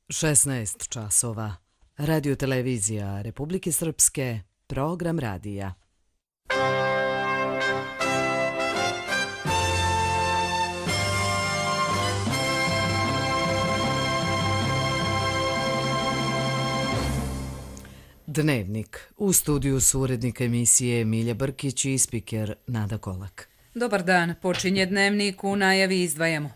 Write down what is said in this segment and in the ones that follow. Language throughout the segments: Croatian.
16 časova. Radio televizija Republike Srpske, program radija. Dnevnik. U studiju su urednik emisije Milja Brkić i spiker Nada Kolak. Dobar dan, počinje Dnevnik, u najavi izdvajamo.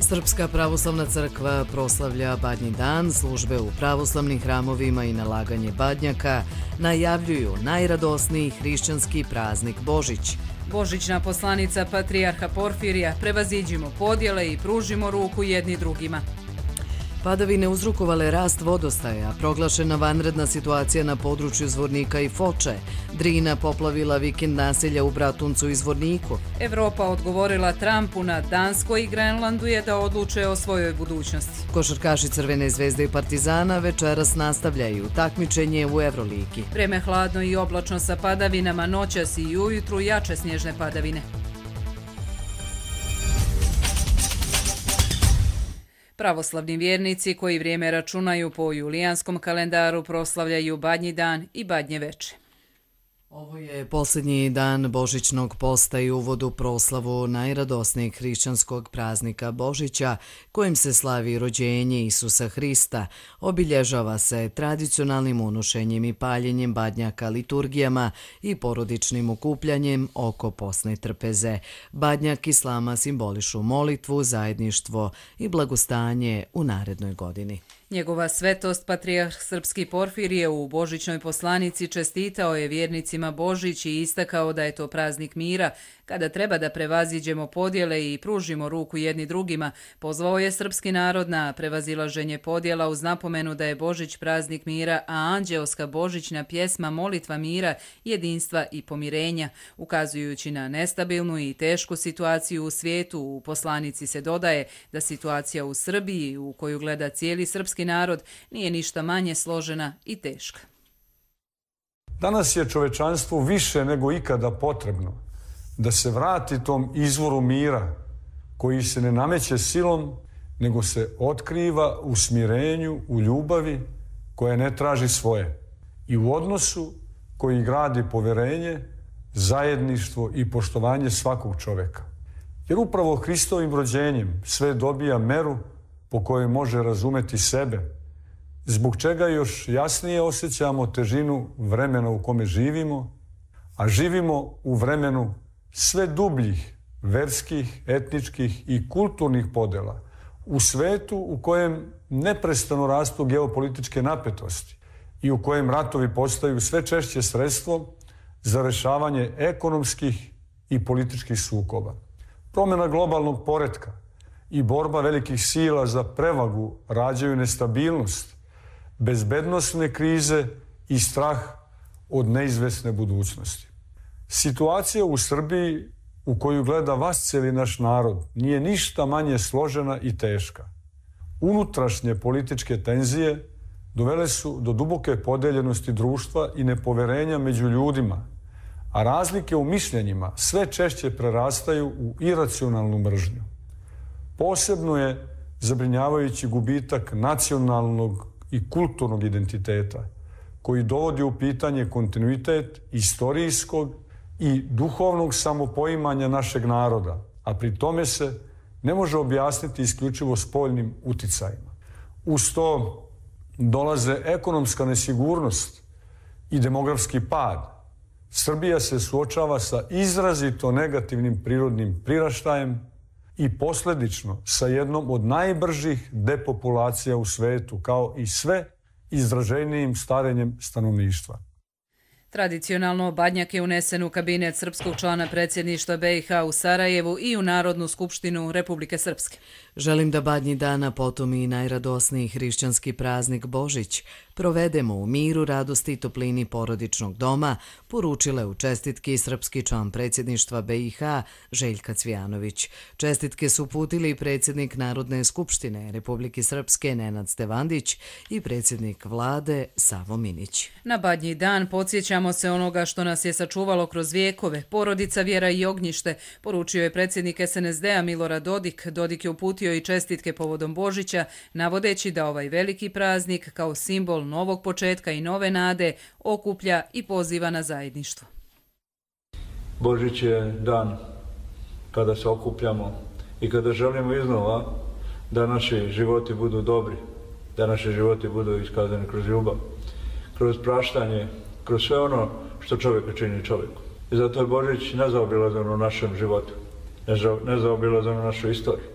Srpska pravoslavna crkva proslavlja Badnji dan, službe u pravoslavnim hramovima i nalaganje badnjaka najavljuju najradosniji hrišćanski praznik Božić. Božićna poslanica patrijarha Porfirija: prevaziđimo podjele i pružimo ruku jedni drugima. Padavine uzrokovale rast vodostaja, proglašena vanredna situacija na području Zvornika i Foče, Drina poplavila vikend naselja u Bratuncu i Zvorniku. Evropa odgovorila Trumpu na Danskoj i Grenlandu je da odluče o svojoj budućnosti. Košarkaši Crvene zvezde i Partizana večeras nastavljaju takmičenje u Evroligi. Vreme hladno i oblačno sa padavinama, noćas i ujutru jače snježne padavine. Pravoslavni vjernici koji vrijeme računaju po julijanskom kalendaru proslavljaju Badnji dan i Badnje veče. Ovo je posljednji dan Božićnog posta i uvod u proslavu najradosnijeg hrišćanskog praznika Božića, kojim se slavi rođenje Isusa Hrista. Obilježava se tradicionalnim unošenjem i paljenjem badnjaka, liturgijama i porodičnim okupljanjem oko posne trpeze. Badnjak islama simbolišu molitvu, zajedništvo i blagostanje u narednoj godini. Njegova svetost patrijarh srpski Porfirije u božićnoj poslanici čestitao je vjernicima Božić i istakao da je to praznik mira, kada treba da prevaziđemo podjele i pružimo ruku jedni drugima. Pozvao je srpski narod na prevazilaženje podjela uz napomenu da je Božić praznik mira, a anđeoska božićna pjesma molitva mira, jedinstva i pomirenja. Ukazujući na nestabilnu i tešku situaciju u svijetu, u poslanici se dodaje da situacija u Srbiji, u koju gleda cijeli srpski narod, nije ništa manje složena i teška. Danas je čovečanstvu više nego ikada potrebno da se vrati tom izvoru mira koji se ne nameće silom, nego se otkriva u smirenju, u ljubavi koja ne traži svoje i u odnosu koji gradi poverenje, zajedništvo i poštovanje svakog čoveka. Jer upravo Hristovim rođenjem sve dobija meru po kojoj može razumeti sebe, zbog čega još jasnije osjećamo težinu vremena u kome živimo, a živimo u vremenu sve dubljih verskih, etničkih i kulturnih podela, u svetu u kojem neprestano rastu geopolitičke napetosti i u kojem ratovi postaju sve češće sredstvo za rešavanje ekonomskih i političkih sukoba. Promjena globalnog poretka i borba velikih sila za prevagu rađaju nestabilnost, bezbednosne krize i strah od neizvesne budućnosti. Situacija u Srbiji u koju gleda vasceli naš narod nije ništa manje složena i teška. Unutrašnje političke tenzije dovele su do duboke podeljenosti društva i nepoverenja među ljudima, a razlike u mišljenjima sve češće prerastaju u iracionalnu mržnju. Posebno je zabrinjavajući gubitak nacionalnog i kulturnog identiteta, koji dovodi u pitanje kontinuitet istorijskog i duhovnog samopoimanja našeg naroda, a pri tome se ne može objasniti isključivo spoljnim uticajima. Uz to dolaze ekonomska nesigurnost i demografski pad. Srbija se suočava sa izrazito negativnim prirodnim priraštajem i posljedično sa jednom od najbržih depopulacija u svetu, kao i sve izraženijim starenjem stanovništva. Tradicionalno badnjak je unesen u kabinet srpskog člana predsjedništva BiH u Sarajevu i u Narodnu skupštinu Republike Srpske. Želim da Badnji dana, potom i najradosniji hrišćanski praznik Božić, provedemo u miru, radosti i toplini porodičnog doma, poručile u čestitki srpski član predsjedništva BiH Željka Cvijanović. Čestitke su uputili i predsjednik Narodne skupštine Republike Srpske Nenad Stevandić i predsjednik vlade Savo Minić. Na Badnji dan podsjećamo Sjećamo se onoga što nas je sačuvalo kroz vijekove, porodica, vjera i ognjište, poručio je predsjednik SNSD-a Milorad Dodik. Dodik je uputio i čestitke povodom Božića, navodeći da ovaj veliki praznik kao simbol novog početka i nove nade okuplja i poziva na zajedništvo. Božić je dan kada se okupljamo i kada želimo iznova da naši životi budu dobri, da naši životi budu iskazani kroz ljubav, kroz praštanje, kroz sve ono što čovjeka čini čovjeku. I zato je Božić nezaobilazan u našem životu, nezaobilazan u našoj istoriji.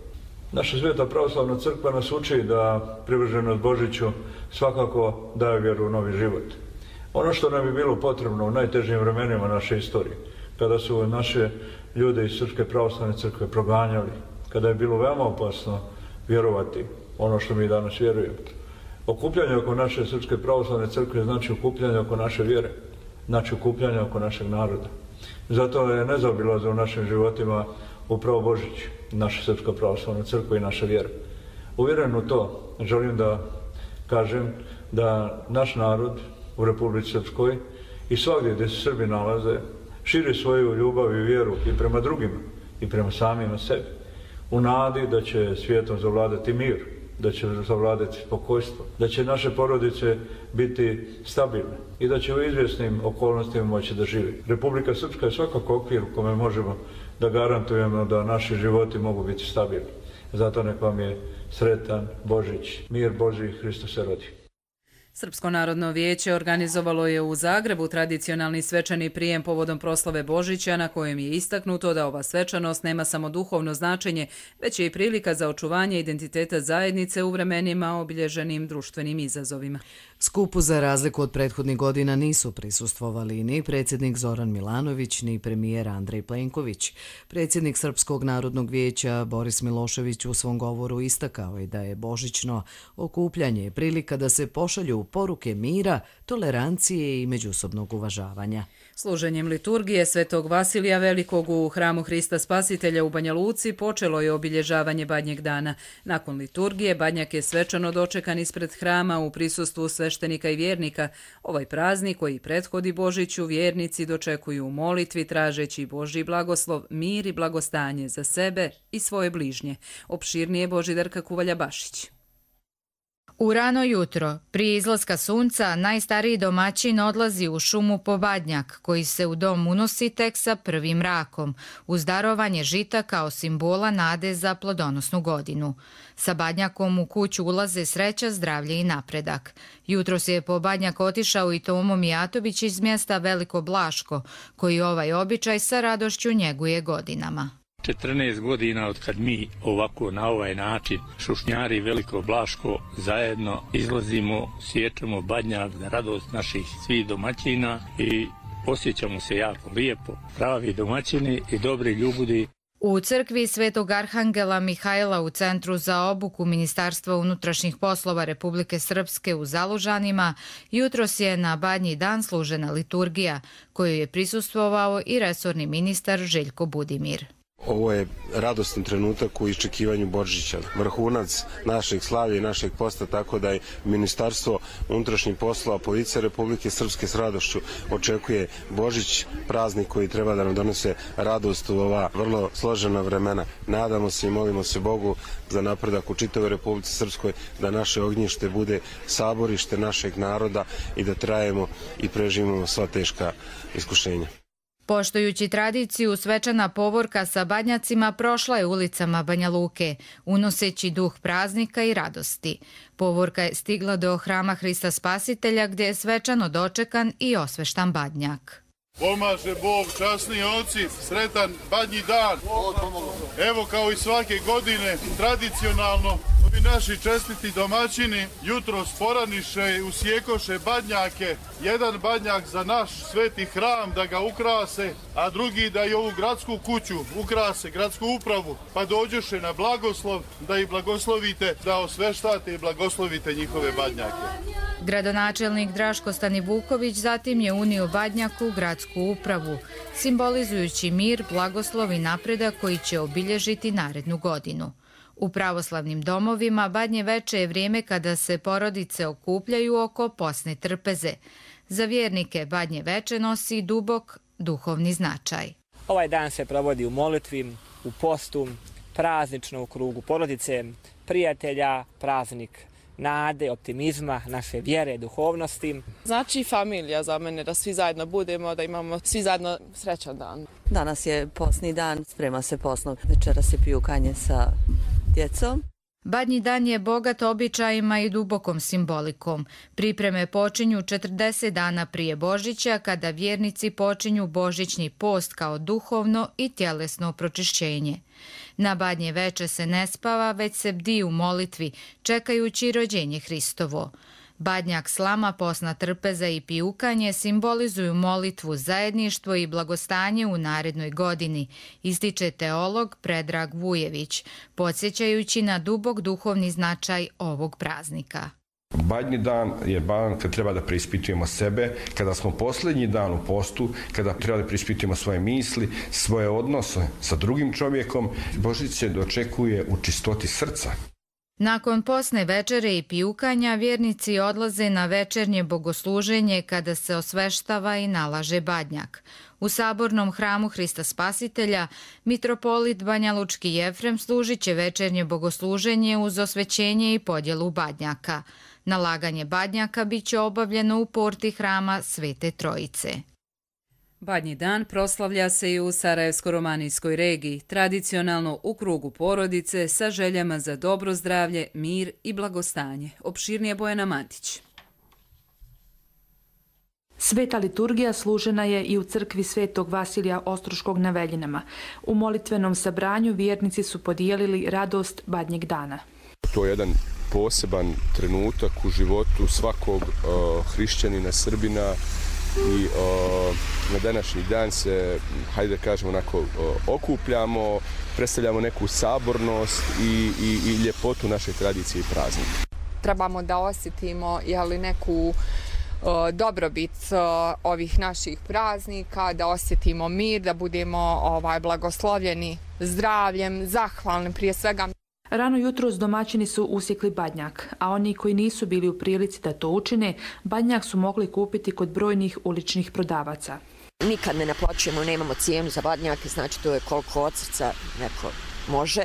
Naša Sveta pravoslavna crkva nas uči da privrženost Božiću svakako daje vjeru u novi život. Ono što nam je bilo potrebno u najtežim vremenima naše istorije, kada su naše ljude iz Srpske pravoslavne crkve proganjali, kada je bilo veoma opasno vjerovati ono što mi danas vjerujemo. Okupljanje oko naše Srpske pravoslavne crkve znači okupljanje oko naše vjere, znači okupljanje oko našeg naroda. Zato je nezaobilazno u našim životima upravo Božić, naša Srpska pravoslavna crkva i naša vjera. Uvjeren u to, želim da kažem da naš narod u Republici Srpskoj i svagdje gdje se Srbi nalaze, širi svoju ljubav i vjeru i prema drugima i prema samima sebi, u nadi da će svijetom zavladati mir, da će zavladati spokojstvo, da će naše porodice biti stabilne i da će u izvjesnim okolnostima moći da živi. Republika Srpska je svakako okvir u kome možemo da garantujemo da naši životi mogu biti stabilni. Zato nek vam je sretan Božić, mir Božji, Hristos se rodi. Srpsko narodno vijeće organizovalo je u Zagrebu tradicionalni svečani prijem povodom proslave Božića, na kojem je istaknuto da ova svečanost nema samo duhovno značenje, već je i prilika za očuvanje identiteta zajednice u vremenima obilježenim društvenim izazovima. Skupu za razliku od prethodnih godina nisu prisustvovali ni predsjednik Zoran Milanović, ni premijer Andrej Plenković. Predsjednik Srpskog narodnog vijeća Boris Milošević u svom govoru istakao je da je božićno okupljanje prilika da se pošalju poruke mira, tolerancije i međusobnog uvažavanja. Služenjem liturgije Svetog Vasilija Velikog u hramu Hrista Spasitelja u Banja Luci počelo je obilježavanje Badnjeg dana. Nakon liturgije Badnjak je svečano dočekan ispred hrama u prisustvu sveštenika i vjernika. Ovaj praznik koji prethodi Božiću vjernici dočekuju u molitvi tražeći Božji blagoslov, mir i blagostanje za sebe i svoje bližnje. Opširnije Božidarka Kuvalja-Bašić. U rano jutro, prije izlaska sunca, najstariji domaćin odlazi u šumu po badnjak, koji se u dom unosi tek sa prvim mrakom, uz darovanje žita kao simbola nade za plodonosnu godinu. Sa badnjakom u kuću ulaze sreća, zdravlje i napredak. Jutros je po badnjak otišao i Tomo Mijatović iz mjesta Veliko Blaško, koji ovaj običaj sa radošću njeguje godinama. 14 godina od kad mi ovako na ovaj način šušnjari Veliko Blaško zajedno izlazimo, sječemo badnjak za radost naših svih domaćina i osjećamo se jako lijepo, pravi domaćini i dobri ljudi. U crkvi Svetog Arhangela Mihajla u Centru za obuku Ministarstva unutrašnjih poslova Republike Srpske u Zalužanima jutros je na Badnji dan služena liturgija, koju je prisustvovao i resorni ministar Željko Budimir. Ovo je radostan trenutak u iščekivanju Božića, vrhunac našeg slavlja i našeg posta, tako da je Ministarstvo unutrašnjih poslova, Policija Republike Srpske s radošću očekuje Božić, praznik koji treba da nam donese radost u ova vrlo složena vremena. Nadamo se i molimo se Bogu za napredak u čitavoj Republici Srpskoj, da naše ognjište bude saborište našeg naroda i da trajemo i preživimo sva teška iskušenja. Poštujući tradiciju, svečana povorka sa badnjacima prošla je ulicama Banja Luke, unoseći duh praznika i radosti. Povorka je stigla do hrama Hrista Spasitelja, gdje je svečano dočekan i osveštan badnjak. Pomaže Bog, časni oci, sretan Badnji dan. Evo kao i svake godine, tradicionalno, ovi naši čestiti domaćini jutro sporaniše i usjekoše badnjake. Jedan badnjak za naš sveti hram da ga ukrase, a drugi da i ovu gradsku kuću ukrase, gradsku upravu, pa dođoše na blagoslov da ih blagoslovite, da osveštate i blagoslovite njihove badnjake. Gradonačelnik Draško Stanivuković zatim je unio badnjak u gradsku upravu, simbolizujući mir, blagoslov i napredak koji će obilježiti narednu godinu. U pravoslavnim domovima Badnje veče je vrijeme kada se porodice okupljaju oko posne trpeze. Za vjernike Badnje veče nosi dubok duhovni značaj. Ovaj dan se provodi u molitvi, u postu, praznično u krugu porodice, prijatelja, praznik nade, optimizma, naše vjere, duhovnosti. Znači familija za mene, da svi zajedno budemo, da imamo svi zajedno srećan dan. Danas je posni dan, sprema se posno, večera se piju kanje sa djecom. Badnji dan je bogat običajima i dubokom simbolikom. Pripreme počinju 40 dana prije Božića, kada vjernici počinju božićni post kao duhovno i tjelesno pročišćenje. Na Badnje veče se ne spava, već se bdi u molitvi, čekajući rođenje Hristovo. Badnjak, slama, posna trpeza i pijukanje simbolizuju molitvu, zajedništvo i blagostanje u narednoj godini, ističe teolog Predrag Vujević, podsjećajući na dubok duhovni značaj ovog praznika. Badnji dan je dan kad treba da preispitujemo sebe, kada smo posljednji dan u postu, kada treba da preispitujemo svoje misli, svoje odnose sa drugim čovjekom. Božić se dočekuje u čistoti srca. Nakon posne večere i pijukanja, vjernici odlaze na večernje bogosluženje kada se osveštava i nalaže badnjak. U sabornom hramu Hrista Spasitelja mitropolit Banjalučki Jefrem služit će večernje bogosluženje uz osvećenje i podjelu badnjaka. Nalaganje badnjaka bit će obavljeno u porti hrama Svete Trojice. Badnji dan proslavlja se i u Sarajevsko-romanijskoj regiji, tradicionalno u krugu porodice sa željama za dobro zdravlje, mir i blagostanje. Opširnije Bojana Mantić. Sveta liturgija služena je i u crkvi Svetog Vasilija Ostroškog na Veljinama. U molitvenom sabranju vjernici su podijelili radost Badnjeg dana. To je jedan poseban trenutak u životu svakog hrišćanina, Srbina, i na današnji dan se, hajde da kažemo, onako okupljamo, predstavljamo neku sabornost i ljepotu naše tradicije i praznika. Trebamo da osjetimo neku dobrobit ovih naših praznika, da osjetimo mir, da budemo blagoslovljeni zdravljem, zahvalni prije svega. Rano jutros domaćini su usjekli badnjak, a oni koji nisu bili u prilici da to učine, badnjak su mogli kupiti kod brojnih uličnih prodavaca. Nikad ne naplaćujemo, nemamo cijenu za badnjake, znači to je koliko od srca neko može,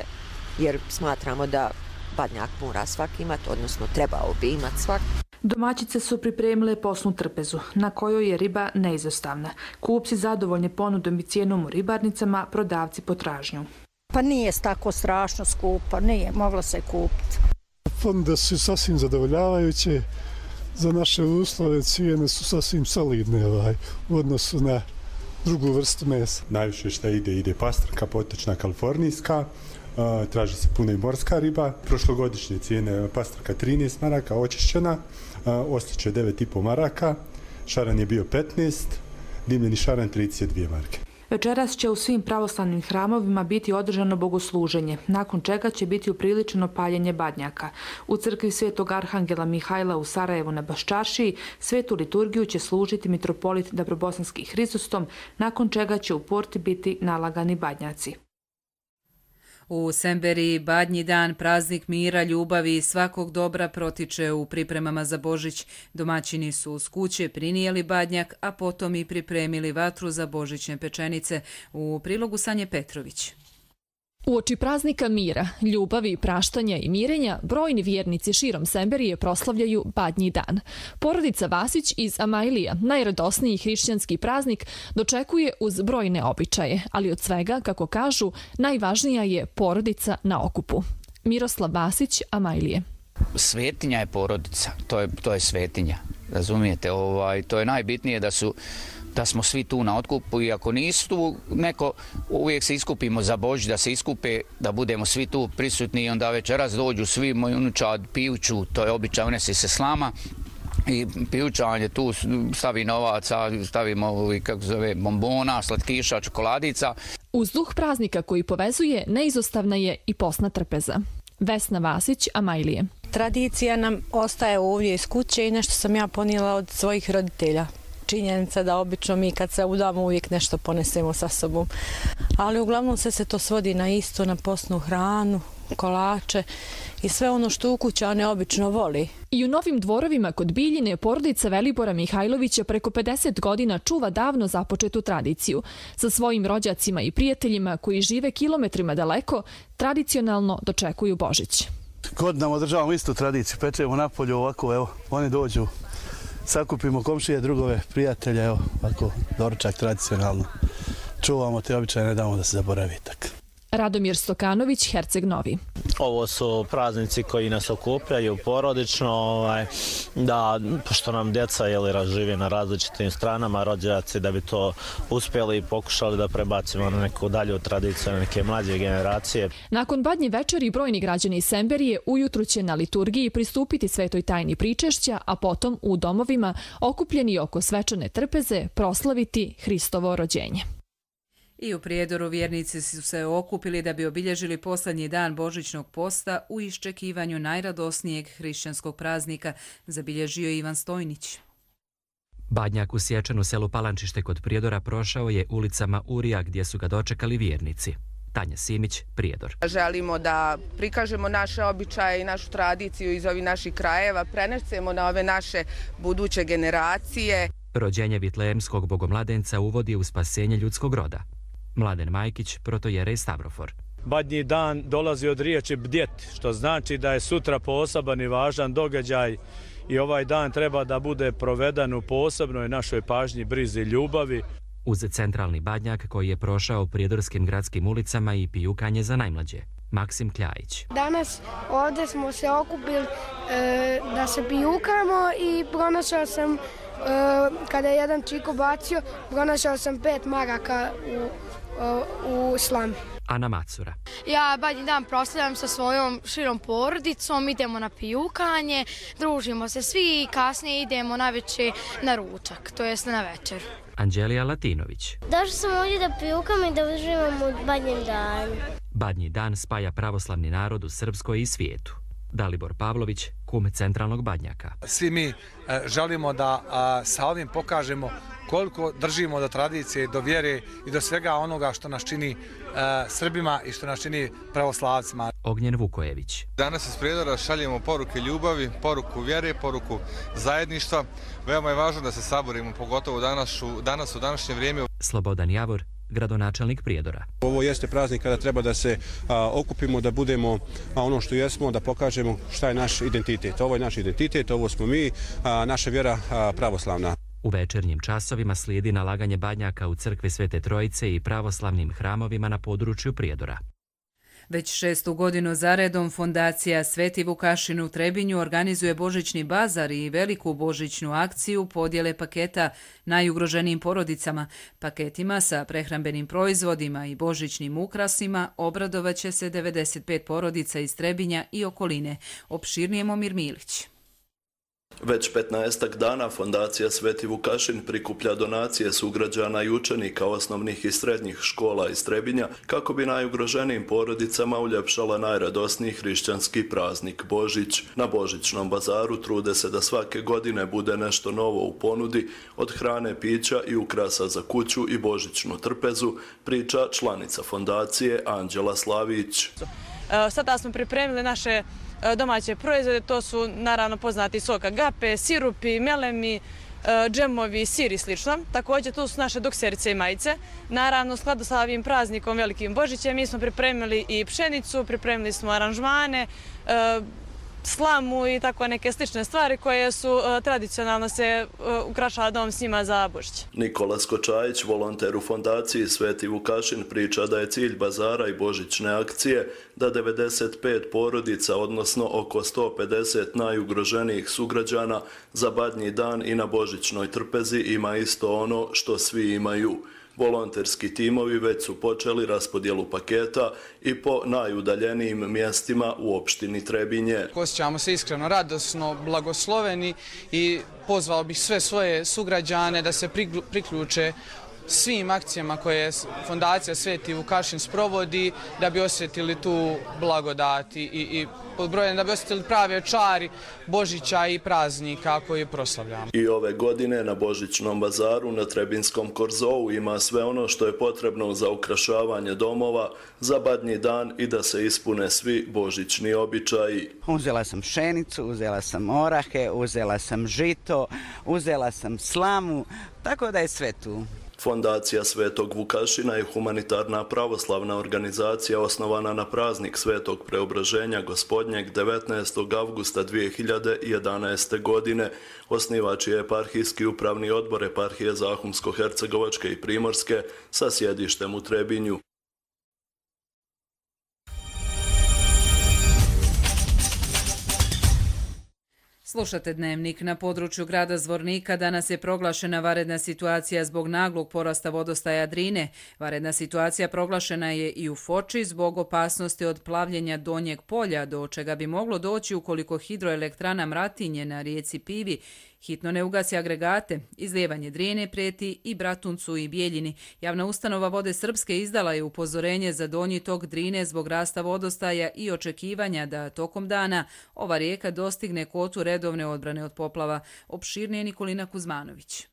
jer smatramo da badnjak mora svaki imati, odnosno trebao bi imati svaki. Domaćice su pripremile posnu trpezu, na kojoj je riba neizostavna. Kupci zadovoljni ponudom i cijenom u ribarnicama, prodavci potražnju. Pa nije tako strašno skupo, nije, moglo se kupiti. Ponude su sasvim zadovoljavajuće, za naše uslove cijene su sasvim solidne u odnosu na drugu vrstu mesa. Najviše što ide pastrka, potočna, kalifornijska, traži se puno i morska riba. Prošlogodišnje cijene pastrka 13 maraka, očišćena, oslić je 9,5 maraka, šaran je bio 15, dimljeni šaran 32 marke. Večeras će u svim pravoslavnim hramovima biti održano bogosluženje, nakon čega će biti upriličeno paljenje badnjaka. U crkvi Svetog Arhangela Mihajla u Sarajevu na Baščaršiji svetu liturgiju će služiti mitropolit Dabrobosanski Hrizostom, nakon čega će u porti biti nalagani badnjaci. U Semberiji Badnji dan, praznik mira, ljubavi i svakog dobra, protiče u pripremama za Božić. Domaćini su uz kuće prinijeli badnjak, a potom i pripremili vatru za božićne pečenice. U prilogu Sanje Petrović. Uoči praznika mira, ljubavi, praštanja i mirenja, brojni vjernici širom Semberije proslavljaju Badnji dan. Porodica Vasić iz Amajlija, najradosniji hrišćanski praznik, dočekuje uz brojne običaje, ali od svega, kako kažu, najvažnija je porodica na okupu. Miroslav Vasić, Amajlije. Svetinja je porodica, to je svetinja, razumijete, to je najbitnije da smo svi tu na otkupu i ako nisu tu neko, uvijek se iskupimo za Božić, da se iskupe, da budemo svi tu prisutni i onda večeras dođu svi moji unučad pijuću, to je običaj, unese se slama i pijučanje tu stavi novaca, stavimo bombona, slatkiša, čokoladica. Uz duh praznika koji povezuje, neizostavna je i posna trpeza. Vesna Vasić, Amajlije. Tradicija nam ostaje ovdje iz kuće i nešto sam ja ponijela od svojih roditelja. Činjenica da obično mi kad se udamo uvijek nešto ponesemo sa sobom. Ali uglavnom se to svodi na isto, na posnu hranu, kolače i sve ono što ukućane obično voli. I u Novim Dvorovima kod Biljine porodica Velibora Mihajlovića preko 50 godina čuva davno započetu tradiciju. Sa svojim rođacima i prijateljima koji žive kilometrima daleko, tradicionalno dočekuju Božić. Godinama održavamo istu tradiciju, pečemo napolju ovako, evo, oni dođu, sakupimo komšije, drugove, prijatelja, evo, ovako, doručak tradicionalno. Čuvamo te običaje, ne damo da se zaboravi tako. Radomir Stokanović, Herceg Novi. Ovo su praznici koji nas okupljaju porodično, da, pošto nam djeca žive na različitim stranama, rođaci da bi to uspjeli i pokušali da prebacimo na neku dalju tradiciju, na neke mlađe generacije. Nakon Badnje večeri brojni građani Semberije ujutru će na liturgiji pristupiti svetoj tajni pričešća, a potom u domovima okupljeni oko svečane trpeze proslaviti Hristovo rođenje. I u Prijedoru vjernici su se okupili da bi obilježili posljednji dan Božićnog posta u iščekivanju najradosnijeg hrišćanskog praznika, zabilježio Ivan Stojnić. Badnjak u Sječanu selu Palančište kod Prijedora prošao je ulicama Urija gdje su ga dočekali vjernici. Tanja Simić, Prijedor. Želimo da prikažemo naše običaje i našu tradiciju iz ovih naših krajeva, prenesemo na ove naše buduće generacije. Rođenje Vitlejemskog bogomladenca uvodi u spasenje ljudskog roda. Mladen Majkić, protojerej Stavrofor. Badnji dan dolazi od riječi bdjet, što znači da je sutra poseban i važan događaj i ovaj dan treba da bude proveden u posebnoj našoj pažnji, brizi, ljubavi. Uz centralni Badnjak koji je prošao prijedorskim gradskim ulicama i pijukanje za najmlađe. Maksim Kljajić. Danas ovdje smo se okupili da se pijukamo i pronašao sam, kada je jedan čiko bacio, pronašao sam 5 maraka u slami. Ana Macura. Ja Badnji dan proslavljam sa svojom širom porodicom, idemo na pijukanje, družimo se svi i kasnije idemo navečer na ručak, to jest na večer. Anđelija Latinović. Došla sam ovdje da pijukam i da uživamo u Badnjem danu. Badnji dan spaja pravoslavni narod u Srpskoj i svijetu. Dalibor Pavlović, kum centralnog Badnjaka. Svi mi želimo da sa ovim pokažemo koliko držimo do tradicije, do vjere i do svega onoga što nas čini Srbima i što nas čini pravoslavcima. Ognjen Vukojević. Danas iz Prijedora šaljemo poruke ljubavi, poruku vjere, poruku zajedništva. Veoma je važno da se saborimo, pogotovo danas u današnje vrijeme. Slobodan Javor, gradonačelnik Prijedora. Ovo jeste praznik kada treba da se okupimo, da budemo ono što jesmo, da pokažemo šta je naš identitet. Ovo je naš identitet, ovo smo mi, naša vjera pravoslavna. U večernjim časovima slijedi nalaganje badnjaka u crkvi Svete Trojice i pravoslavnim hramovima na području Prijedora. Već 6. godinu zaredom Fondacija Sveti Vukašin u Trebinju organizuje božićni bazar i veliku božićnu akciju podjele paketa najugroženijim porodicama. Paketima sa prehrambenim proizvodima i božićnim ukrasima obradovaće se 95 porodica iz Trebinja i okoline. Opširnije Momir Milić. Već 15 dana Fondacija Sveti Vukašin prikuplja donacije sugrađana i učenika osnovnih i srednjih škola iz Trebinja kako bi najugroženijim porodicama uljepšala najradosniji hrišćanski praznik Božić. Na božićnom bazaru trude se da svake godine bude nešto novo u ponudi, od hrane, pića i ukrasa za kuću i božićnu trpezu, priča članica fondacije Anđela Slavić. Sada smo pripremili naše domaće proizvode, to su naravno poznati sok agape, sirupi, melemi, džemovi, sir i slično. Također tu su naše dukserice i majice. Naravno, u skladu sa ovim praznikom Velikim Božićem mi smo pripremili i pšenicu, pripremili smo aranžmane, slamu i tako neke slične stvari koje su tradicionalno se ukrašava dom s njima za Božić. Nikola Skočajić, volonter u Fondaciji Sveti Vukašin, priča da je cilj bazara i božićne akcije da 95 porodica, odnosno oko 150 najugroženijih sugrađana za Badnji dan i na božićnoj trpezi ima isto ono što svi imaju. Volonterski timovi već su počeli raspodjelu paketa i po najudaljenijim mjestima u opštini Trebinje. Osjećamo se iskreno radosno, blagosloveni i pozvao bih sve svoje sugrađane da se priključe svim akcijama koje Fondacija Sveti Vukašin sprovodi da bi osjetili tu blagodat i podbrojeni da bi osjetili prave čari Božića i praznika koji proslavljamo. I ove godine na Božićnom bazaru na Trebinskom korzou ima sve ono što je potrebno za ukrašavanje domova, za Badnji dan i da se ispune svi božićni običaji. Uzela sam pšenicu, uzela sam orahe, uzela sam žito, uzela sam slamu, tako da je sve tu. Fondacija Svetog Vukašina je humanitarna pravoslavna organizacija osnovana na praznik Svetog Preobraženja Gospodnjeg 19. avgusta 2011. godine. Osnivač je eparhijski upravni odbor eparhije Zahumsko-Hercegovačke i Primorske sa sjedištem u Trebinju. Slušate Dnevnik. Na području grada Zvornika danas je proglašena vanredna situacija zbog naglog porasta vodostaja Drine. Vanredna situacija proglašena je i u Foči zbog opasnosti od plavljenja Donjeg polja, do čega bi moglo doći ukoliko hidroelektrana Mratinje na rijeci Pivi hitno ne ugasi agregate. Izlijevanje Drine prijeti i Bratuncu i Bijeljini. Javna ustanova Vode Srpske izdala je upozorenje za donji tok Drine zbog rasta vodostaja i očekivanja da tokom dana ova rijeka dostigne kotu redovne odbrane od poplava. Opširnije Nikolina Kuzmanović.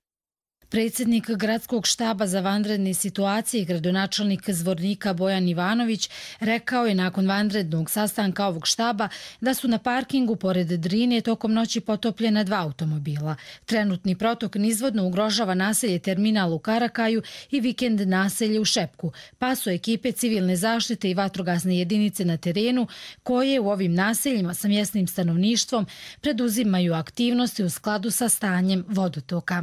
Predsjednik Gradskog štaba za vanredne situacije i gradonačelnik Zvornika Bojan Ivanović rekao je nakon vanrednog sastanka ovog štaba da su na parkingu pored Drine tokom noći potopljena 2 automobila. Trenutni protok nizvodno ugrožava naselje Terminal u Karakaju i vikend naselje u Šepku, pa su ekipe civilne zaštite i vatrogasne jedinice na terenu koje u ovim naseljima sa mjesnim stanovništvom preduzimaju aktivnosti u skladu sa stanjem vodotoka.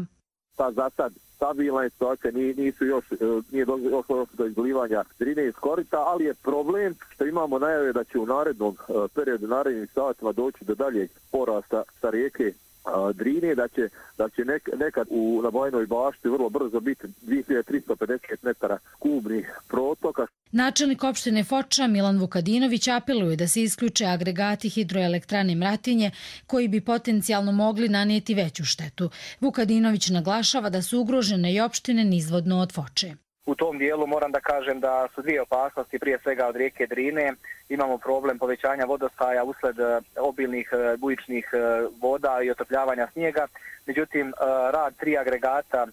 Za sad stabilna je situacija, nije došlo do izlivanja Drine iz korita, ali je problem što imamo najave da će u narednom periodu, narednim satima doći do daljeg porasta sa rijeke Drine, da će nekad na Bajnoj bašti vrlo brzo biti 2350 metara kubnih protoka. Načelnik opštine Foča Milan Vukadinović apeluje da se isključe agregati hidroelektrane Mratinje koji bi potencijalno mogli nanijeti veću štetu. Vukadinović naglašava da su ugrožene i opštine nizvodno od Foče. U tom dijelu moram da kažem da su 2 opasnosti, prije svega od rijeke Drine. Imamo problem povećanja vodostaja usled obilnih bujičnih voda i otopljavanja snijega. Međutim, rad 3 agregata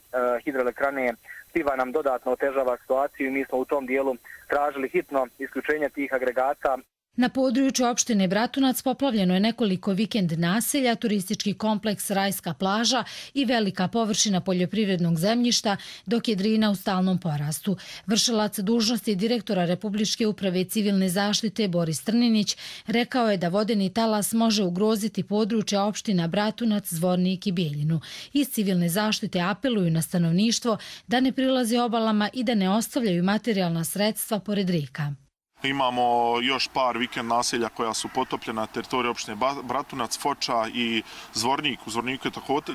hidroelektrane Piva nam dodatno otežava situaciju i mi smo u tom dijelu tražili hitno isključenje tih agregata. Na području opštine Bratunac poplavljeno je nekoliko vikend naselja, turistički kompleks Rajska plaža i velika površina poljoprivrednog zemljišta, dok je Drina u stalnom porastu. Vršilac dužnosti direktora Republičke uprave civilne zaštite Boris Trninić rekao je da vodeni talas može ugroziti područja opština Bratunac, Zvornik i Bijeljinu. Iz civilne zaštite apeluju na stanovništvo da ne prilaze obalama i da ne ostavljaju materijalna sredstva pored rijeka. Imamo još par vikend naselja koja su potopljena na teritoriji opštine Bratunac, Foča i Zvornik. U Zvorniku je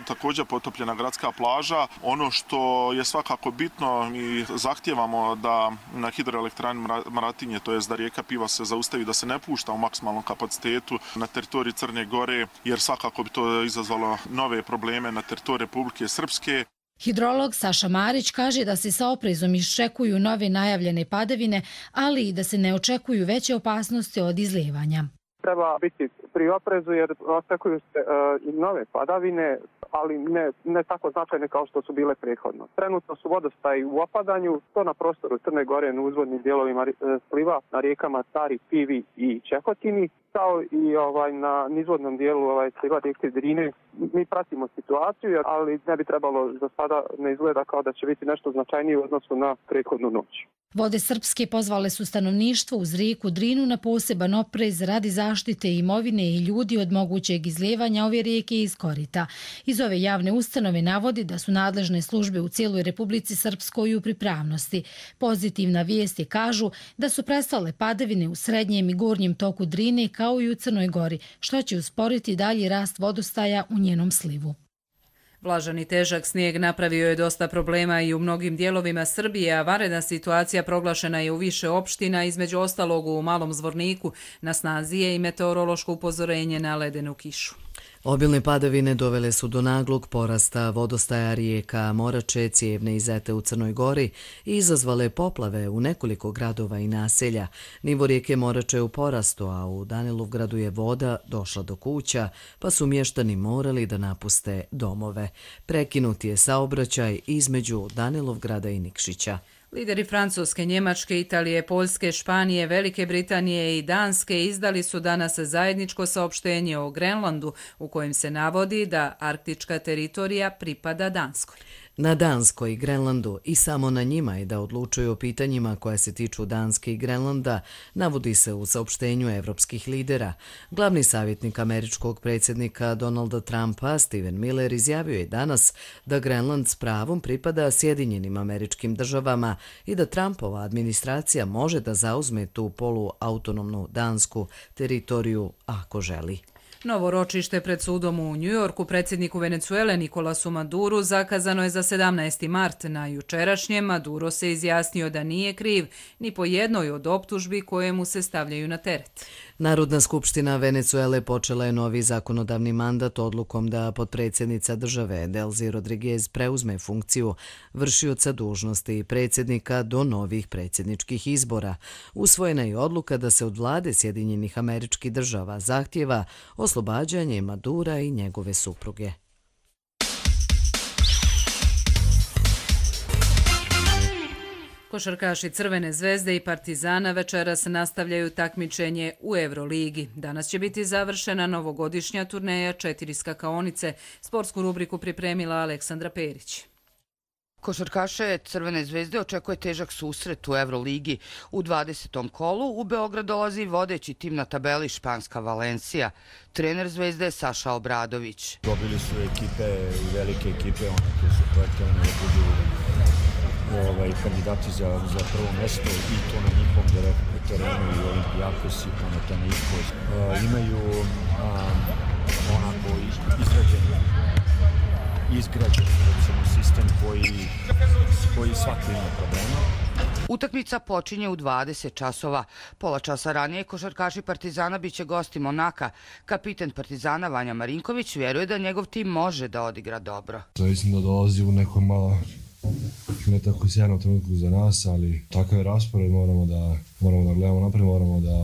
također potopljena gradska plaža. Ono što je svakako bitno, mi zahtijevamo da na hidroelektrani Mratinje, to jest da rijeka Piva se zaustavi, da se ne pušta u maksimalnom kapacitetu na teritoriji Crne Gore, jer svakako bi to izazvalo nove probleme na teritoriji Republike Srpske. Hidrolog Saša Marić kaže da se sa oprezom iščekuju nove najavljene padavine, ali i da se ne očekuju veće opasnosti od izlijevanja. Treba biti pri oprezu jer očekuju se i nove padavine, ali ne tako značajne kao što su bile prethodno. Trenutno su vodostaji u opadanju, to na prostoru Crne Gore na uzvodnim dijelovima sliva na rijekama Tari, Pivi i Čehotini, kao i na nizvodnom dijelu sliva rijeke Drine. Mi pratimo situaciju, ali ne bi trebalo za sada ne izgleda kao da će biti nešto značajnije u odnosu na prethodnu noć. Vode Srpske pozvale su stanovništvo uz rijeku Drinu na poseban oprez radi zaštite imovine i ljudi od mogućeg izlijevanja ove rijeke iz korita. Iz ove javne ustanove navodi da su nadležne službe u cijeloj Republici Srpskoj u pripravnosti. Pozitivna vijest je kažu da su prestale padavine u srednjem i gornjem toku Drine kao i u Crnoj Gori, što će usporiti dalji rast vodostaja u njenom slivu. Vlažan i težak snijeg napravio je dosta problema i u mnogim dijelovima Srbije, a vanredna situacija proglašena je u više opština, između ostalog u Malom Zvorniku. Na snazi je i meteorološko upozorenje na ledenu kišu. Obilne padavine dovele su do naglog porasta vodostaja rijeka Morače, Cijevne i Zete u Crnoj Gori i izazvale poplave u nekoliko gradova i naselja. Nivo rijeke Morače je u porastu, a u Danilovgradu je voda došla do kuća, pa su mještani morali da napuste domove. Prekinut je saobraćaj između Danilovgrada i Nikšića. Lideri Francuske, Njemačke, Italije, Poljske, Španije, Velike Britanije i Danske izdali su danas zajedničko saopštenje o Grenlandu u kojem se navodi da arktička teritorija pripada Danskoj. Na Danskoj i Grenlandu i samo na njima je da odlučuju o pitanjima koja se tiču Danske i Grenlanda, navodi se u saopštenju evropskih lidera. Glavni savjetnik američkog predsjednika Donalda Trumpa, Stephen Miller, izjavio je danas da Grenland s pravom pripada Sjedinjenim Američkim Državama i da Trumpova administracija može da zauzme tu poluautonomnu dansku teritoriju ako želi. Novo ročište pred sudom u Njujorku predsjedniku Venecuele Nikolasu Maduru zakazano je za 17. mart. Na jučerašnjem Maduro se izjasnio da nije kriv ni po jednoj od optužbi koje mu se stavljaju na teret. Narodna skupština Venecuele počela je novi zakonodavni mandat odlukom da potpredsjednica države Delcy Rodriguez preuzme funkciju vršioca dužnosti predsjednika do novih predsjedničkih izbora. Usvojena je odluka da se od vlade Sjedinjenih Američkih Država zahtjeva oslobađanje Madura i njegove supruge. Košarkaši Crvene zvezde i Partizana večeras nastavljaju takmičenje u Euroligi. Danas će biti završena novogodišnja turneja 4 skakaonice. Sportsku rubriku pripremila Aleksandra Perić. Košarkaše Crvene zvezde očekuje težak susret u Euroligi. U 20. kolu u Beograd dolazi vodeći tim na tabeli španska Valencija. Trener zvezde je Saša Obradović. Dobili su ekipe, velike ekipe, one koje su projektovane da budu kandidati za prvo mjesto i to na njihovom terenu i Olimpijakos i Panathinaikos. Imaju onako izgrađen sistem koji svaki ima problema. Utakmica počinje u 20 časova. Pola časa ranije košarkaši Partizana biće gosti Monaka. Kapiten Partizana Vanja Marinković vjeruje da njegov tim može da odigra dobro. Mislim da dolazi u nekoj malo ne tako sjajnom trenutku za nas, ali takav je raspored, moramo da gledamo naprijed, moramo da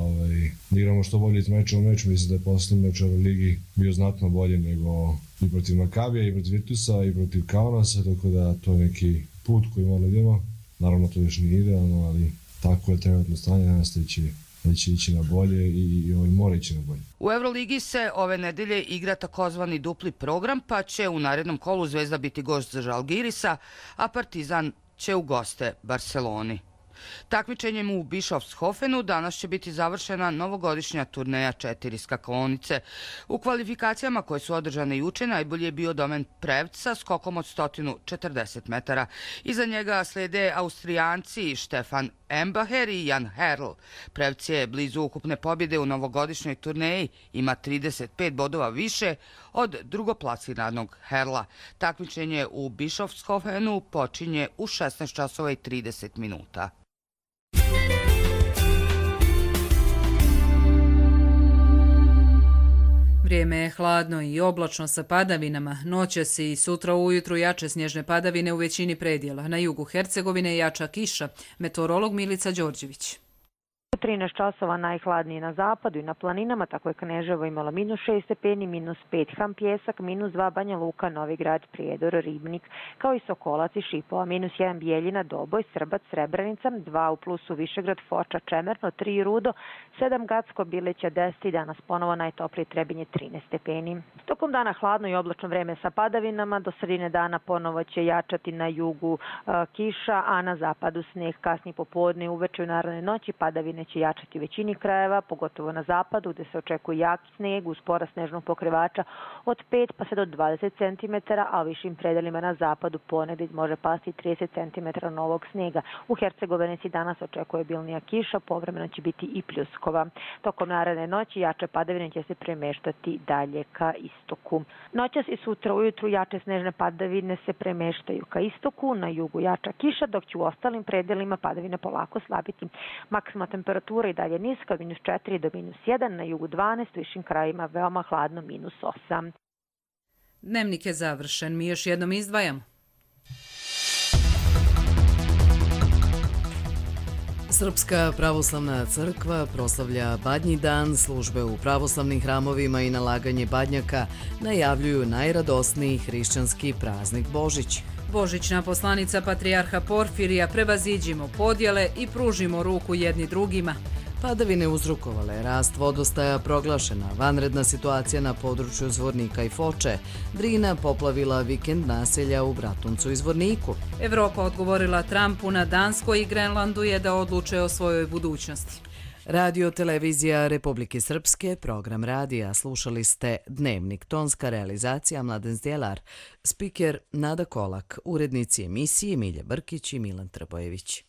igramo što bolje iz meča u meču. Mislim da je posljednji meč u Ligi bio znatno bolje nego i protiv Makabija, i protiv Virtusa, i protiv Kaunasa, tako da to je neki put koji moramo idemo. Naravno to još nije idealno, ali tako je trenutno stanje, danas da će ići na bolje i mora ići na bolje. U Euroligi se ove nedelje igra takozvani dupli program, pa će u narednom kolu Zvezda biti gost za Žalgirisa, a Partizan će u goste Barceloni. Takmičenjem u Bischofshofenu danas će biti završena novogodišnja turneja 4 skakaonice. U kvalifikacijama koje su održane juče najbolji je bio Domen Prevca skokom od 140 metara. Iza njega slede Austrijanci Stefan Embacher i Jan Herl. Prevc je blizu ukupne pobjede u novogodišnjoj turneji, ima 35 bodova više od drugoplasiranog Herla. Takmičenje u Bischofshofenu počinje u 16 časova i 30 minuta. Vrijeme je hladno i oblačno sa padavinama. Noćas i sutra ujutru jače snježne padavine u većini predjela. Na jugu Hercegovine jača kiša. Meteorolog Milica Đorđević. 13 časova najhladnije na zapadu i na planinama, tako je Kneževo imalo -6 stepeni, -5 Ham Pjesak, -2 Banja Luka, Novi Grad, Prijedor, Ribnik, kao i Sokolac i Šipova, -1 Bijeljina, Doboj, Srbac, Srebrenica, 2 u plusu Višegrad, Foča, Čemerno, 3 Rudo, 7 Gacko, Bileća, 10 i danas ponovo najtoplije Trebinje 13 stepeni. Tokom dana hladno i oblačno vreme sa padavinama, do sredine dana ponovo će jačati na jugu kiša, a na zapadu snijeg. Kasnije popodne i uveče u narednoj noći padavine će jačati u većini krajeva, pogotovo na zapadu gdje se očekuje jak snijeg uz porast snežnog pokrivača od 5 pa sve do 20 cm, a u višim predelima na zapadu ponegdje može pasti 30 cm novog snijega. U Hercegovini danas očekuje obilnija kiša, povremeno će biti i pljuskova. Tokom naredne noći jače padavine će se premeštati dalje ka istoku. Noćas i sutra ujutru jače snežne padavine se premeštaju ka istoku, na jugu jača kiša, dok će u ostalim predelima padavine polako slabiti. Maksimalna temperatura i dalje niska od -4 do -1, na jugu 12, u višim krajima veoma hladno -8. Dnevnik je završen. Mi još jednom izdvajamo. Srpska pravoslavna crkva proslavlja Badnji dan, službe u pravoslavnim hramovima i nalaganje badnjaka najavljuju najradosniji hrišćanski praznik Božić. Božićna poslanica patrijarha Porfirija prevaziđimo podjele i pružimo ruku jedni drugima. Padavine uzrokovale rast vodostaja, proglašena vanredna situacija na području Zvornika i Foče, Drina poplavila vikend naselja u Bratuncu i Zvorniku. Evropa odgovorila Trumpu na Danskoj i Grenlandu je da odluče o svojoj budućnosti. Radio Televizija Republike Srpske, program radija. Slušali ste Dnevnik, tonska realizacija Mladen Zdjelar, spiker Nada Kolak, urednici emisije Milja Brkić i Milan Trbojević.